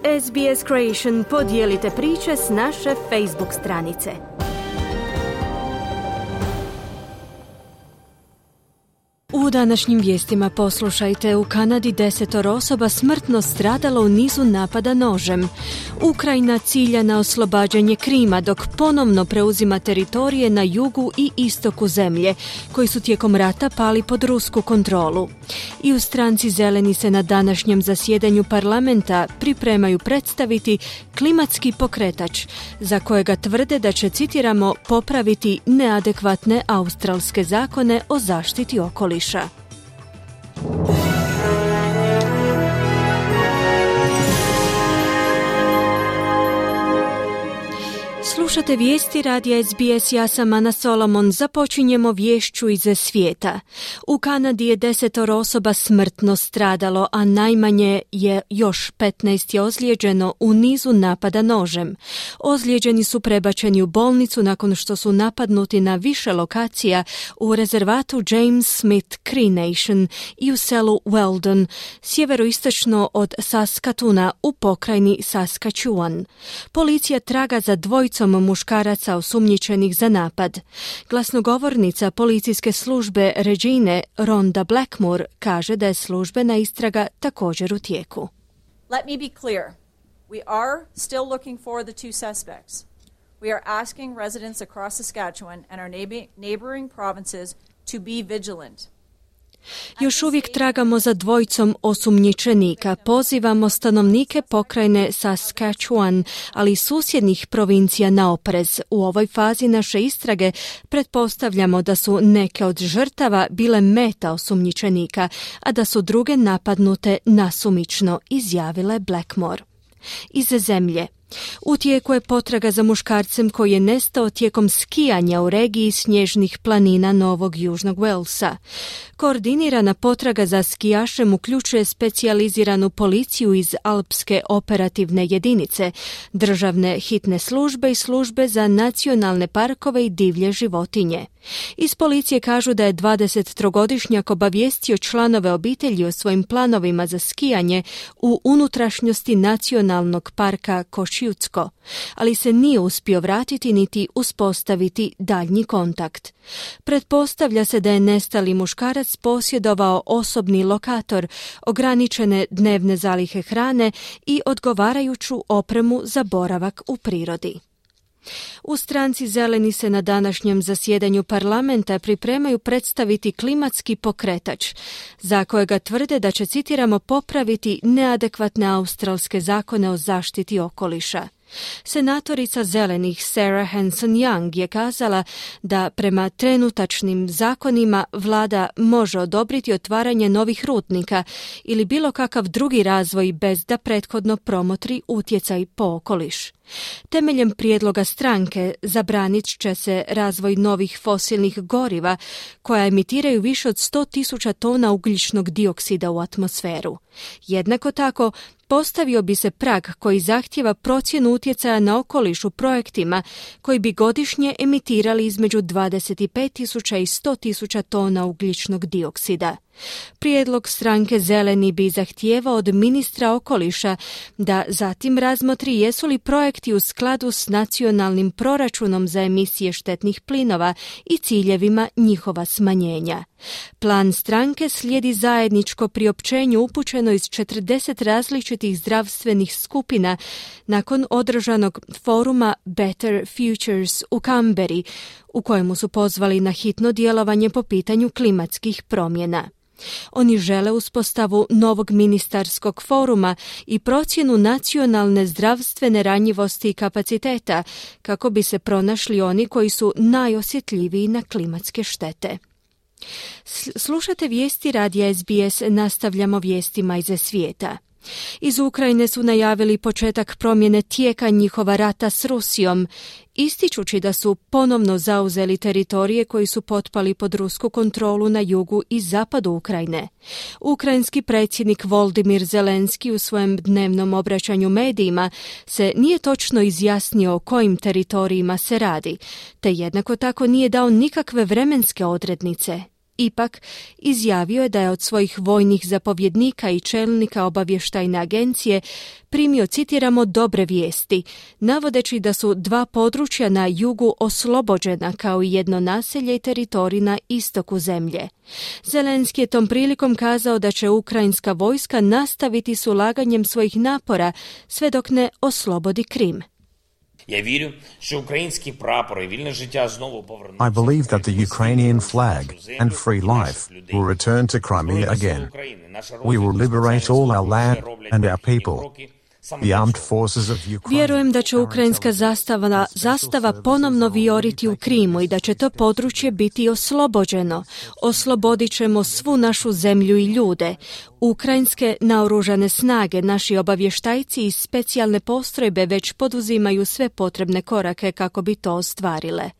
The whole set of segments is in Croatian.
SBS Creation, podijelite priče s naše Facebook stranice. U današnjim vijestima poslušajte: u Kanadi 10 osoba smrtno stradalo u nizu napada nožem. Ukrajina cilja na oslobađanje Krima dok ponovno preuzima teritorije na jugu i istoku zemlje, koji su tijekom rata pali pod rusku kontrolu. I u stranci Zeleni se na današnjem zasjedanju parlamenta pripremaju predstaviti klimatski pokretač, za kojega tvrde da će, citiramo, popraviti neadekvatne australske zakone o zaštiti okoliša. Slušate vijesti radija SBS, ja sam Ana Solomon. Započinjemo viješću iz svijeta. U Kanadi je 10 osoba smrtno stradalo, a najmanje je još 15 ozlijeđeno u nizu napada nožem. Ozlijeđeni su prebačeni u bolnicu nakon što su napadnuti na više lokacija u rezervatu James Smith Cree Nation i u selu Weldon, sjeveroistočno od Saskatoona u pokrajini Saskatchewan. Policija traga za dvojicom muškaraca osumnjičenih za napad. Glasnogovornica policijske službe Regine Rhonda Blackmore kaže da je službena istraga također u tijeku. Let me be clear. We are still looking for the two suspects. We are asking residents across Saskatchewan and our neighboring provinces to be vigilant. Još uvijek tragamo za dvojicom osumnjičenika. Pozivamo stanovnike pokrajine Saskatchewan, ali i susjednih provincija na oprez. U ovoj fazi naše istrage pretpostavljamo da su neke od žrtava bile meta osumnjičenika, a da su druge napadnute nasumično, izjavile Blackmore. Iz zemlje. U tijeku je potraga za muškarcem koji je nestao tijekom skijanja u regiji snježnih planina Novog Južnog Walesa. Koordinirana potraga za skijašem uključuje specijaliziranu policiju iz Alpske operativne jedinice, državne hitne službe i službe za nacionalne parkove i divlje životinje. Iz policije kažu da je 23-godišnjak obavijestio članove obitelji o svojim planovima za skijanje u unutrašnjosti nacionalnog parka Košutsko, ali se nije uspio vratiti niti uspostaviti daljnji kontakt. Pretpostavlja se da je nestali muškarac posjedovao osobni lokator, ograničene dnevne zalihe hrane i odgovarajuću opremu za boravak u prirodi. U stranci Zeleni se na današnjem zasjedanju parlamenta pripremaju predstaviti klimatski pokretač, za kojega tvrde da će, citiramo, popraviti neadekvatne australske zakone o zaštiti okoliša. Senatorica Zelenih Sarah Hanson-Young je kazala da prema trenutačnim zakonima vlada može odobriti otvaranje novih rudnika ili bilo kakav drugi razvoj bez da prethodno promotri utjecaj po okoliš. Temeljem prijedloga stranke zabranit će se razvoj novih fosilnih goriva koja emitiraju više od 100.000 tona ugljičnog dioksida u atmosferu. Jednako tako, postavio bi se prag koji zahtijeva procjenu utjecaja na okoliš u projektima koji bi godišnje emitirali između 25.000 i 100.000 tona ugljičnog dioksida. Prijedlog stranke Zeleni bi zahtijevao od ministra okoliša da zatim razmotri jesu li projekti u skladu s nacionalnim proračunom za emisije štetnih plinova i ciljevima njihova smanjenja. Plan stranke slijedi zajedničko priopćenje upućeno iz 40 različitih zdravstvenih skupina nakon održanog foruma Better Futures u Canberri, u kojemu su pozvali na hitno djelovanje po pitanju klimatskih promjena. Oni žele uspostavu novog ministarskog foruma i procjenu nacionalne zdravstvene ranjivosti i kapaciteta kako bi se pronašli oni koji su najosjetljiviji na klimatske štete. Slušate vijesti radija SBS, nastavljamo vijestima iz svijeta. Iz Ukrajine su najavili početak promjene tijeka njihova rata s Rusijom, ističući da su ponovno zauzeli teritorije koji su potpali pod rusku kontrolu na jugu i zapadu Ukrajine. Ukrajinski predsjednik Volodymyr Zelenski u svojem dnevnom obraćanju medijima se nije točno izjasnio o kojim teritorijima se radi, te jednako tako nije dao nikakve vremenske odrednice. Ipak, izjavio je da je od svojih vojnih zapovjednika i čelnika obavještajne agencije primio, citiramo, dobre vijesti, navodeći da su 2 područja na jugu oslobođena kao i jedno naselje i teritorij na istoku zemlje. Zelenski je tom prilikom kazao da će ukrajinska vojska nastaviti s ulaganjem svojih napora sve dok ne oslobodi Krim. I believe that the Ukrainian flag and free life will return to Crimea again. We will liberate all our land and our people. Vjerujem da će ukrajinska zastava ponovno vijoriti u Krimu i da će to područje biti oslobođeno. Oslobodit ćemo svu našu zemlju i ljude. Ukrajinske naoružane snage, naši obavještajci i specijalne postrojbe već poduzimaju sve potrebne korake kako bi to ostvarile.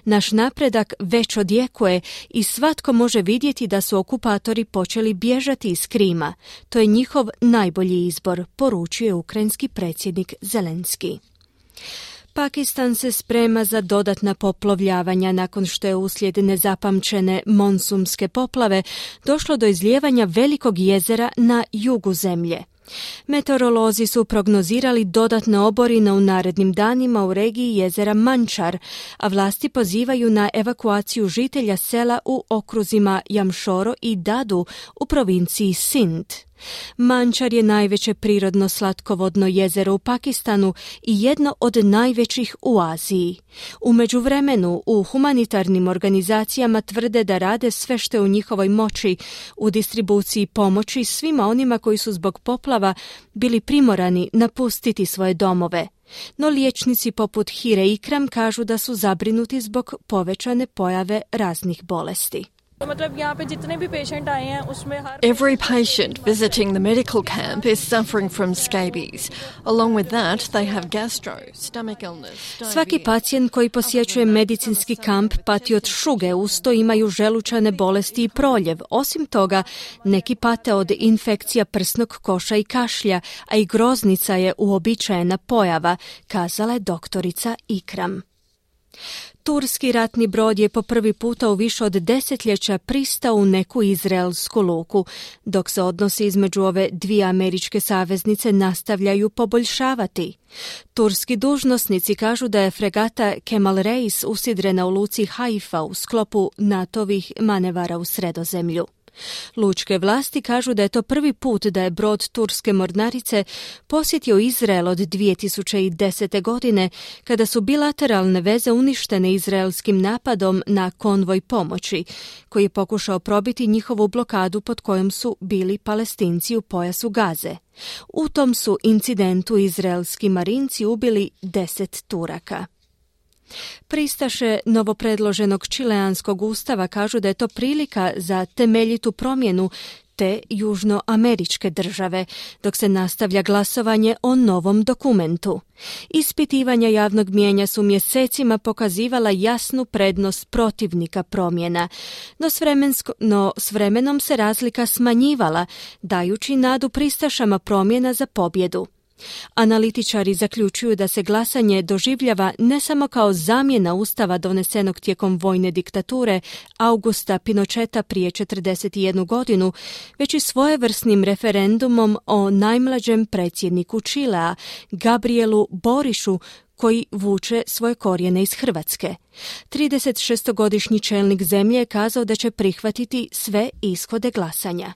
Naš napredak već odjekuje i svatko može vidjeti da su okupatori počeli bježati iz Krima. To je njihov najbolji izbor, poručuje ukrajinski predsjednik Zelenski. Pakistan se sprema za dodatna poplovljavanja nakon što je uslijed nezapamćene monsunske poplave došlo do izlijevanja velikog jezera na jugu zemlje. Meteorolozi su prognozirali dodatne oborine u narednim danima u regiji jezera Mančar, a vlasti pozivaju na evakuaciju žitelja sela u okruzima Jamšoro i Dadu u provinciji Sind. Mančar je najveće prirodno slatkovodno jezero u Pakistanu i jedno od najvećih u Aziji. U međuvremenu u humanitarnim organizacijama tvrde da rade sve što je u njihovoj moći u distribuciji pomoći svima onima koji su zbog poplava bili primorani napustiti svoje domove. No liječnici poput Hire Ikram kažu da su zabrinuti zbog povećane pojave raznih bolesti. Every patient visiting the medical camp is suffering from scabies. Along with that, they have gastro, stomach illness, diarrhea. Svaki pacijent koji posjećuje medicinski kamp pati od šuge, usto imaju želučane bolesti i proljev. Osim toga, neki pate od infekcija prsnog koša i kašlja, a i groznica je uobičajena pojava, kazala je doktorica Ikram. Turski ratni brod je po prvi puta u više od desetljeća pristao u neku izraelsku luku, dok se odnosi između ove dvije američke saveznice nastavljaju poboljšavati. Turski dužnosnici kažu da je fregata Kemal Reis usidrena u luci Haifa u sklopu NATO-vih manevara u Sredozemlju. Lučke vlasti kažu da je to prvi put da je brod turske mornarice posjetio Izrael od 2010. godine, kada su bilateralne veze uništene izraelskim napadom na konvoj pomoći, koji je pokušao probiti njihovu blokadu pod kojom su bili Palestinci u pojasu Gaze. U tom su incidentu izraelski marinci ubili 10 Turaka. Pristaše novopredloženog čileanskog ustava kažu da je to prilika za temeljitu promjenu te južnoameričke države, dok se nastavlja glasovanje o novom dokumentu. Ispitivanja javnog mijenja su mjesecima pokazivala jasnu prednost protivnika promjena, no s vremenom se razlika smanjivala, dajući nadu pristašama promjena za pobjedu. Analitičari zaključuju da se glasanje doživljava ne samo kao zamjena ustava donesenog tijekom vojne diktature Augusta Pinocheta prije 41 godinu, već i svojevrsnim referendumom o najmlađem predsjedniku Čilea, Gabrielu Borišu, koji vuče svoje korijene iz Hrvatske. 36-godišnji čelnik zemlje je kazao da će prihvatiti sve ishode glasanja.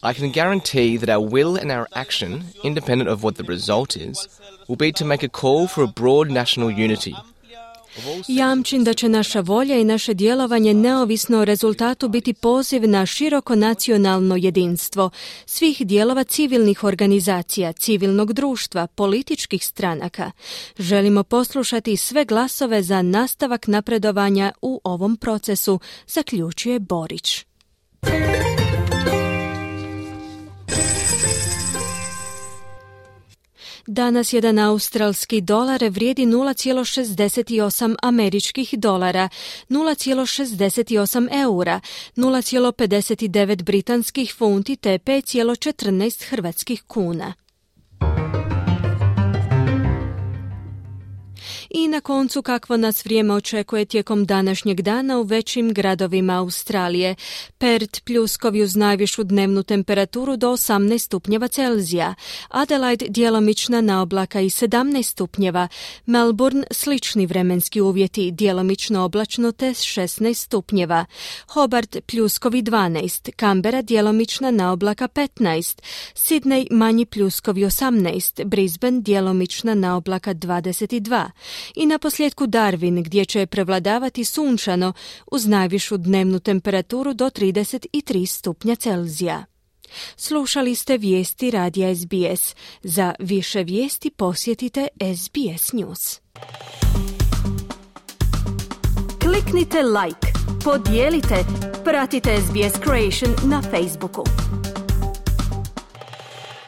I can guarantee that our will and our action, independent of what the result is, will be to make a call for a broad national unity. Jamčim da će naša volja i naše djelovanje neovisno o rezultatu biti poziv na široko nacionalno jedinstvo svih dijelova civilnih organizacija, civilnog društva, političkih stranaka. Želimo poslušati sve glasove za nastavak napredovanja u ovom procesu, zaključuje Borić. Danas jedan australski dolar vrijedi 0,68 američkih dolara, 0,68 eura, 0,59 britanskih funti te 5,14 hrvatskih kuna. I na koncu kakvo nas vrijeme očekuje tijekom današnjeg dana u većim gradovima Australije. Perth pljuskovi uz najvišu dnevnu temperaturu do 18 stupnjeva Celzija. Adelaide djelomična naoblaka i 17 stupnjeva. Melbourne slični vremenski uvjeti, djelomično oblačno te 16 stupnjeva. Hobart pljuskovi 12, Canberra djelomična naoblaka 15, Sydney manji pljuskovi 18, Brisbane djelomična naoblaka 22 i na posljedku Darwin gdje će prevladavati sunčano uz najvišu dnevnu temperaturu do 33 stupnja Celzija. Slušali ste vijesti radija SBS. Za više vijesti posjetite SBS News. Kliknite like, podijelite, pratite SBS Creation na Facebooku.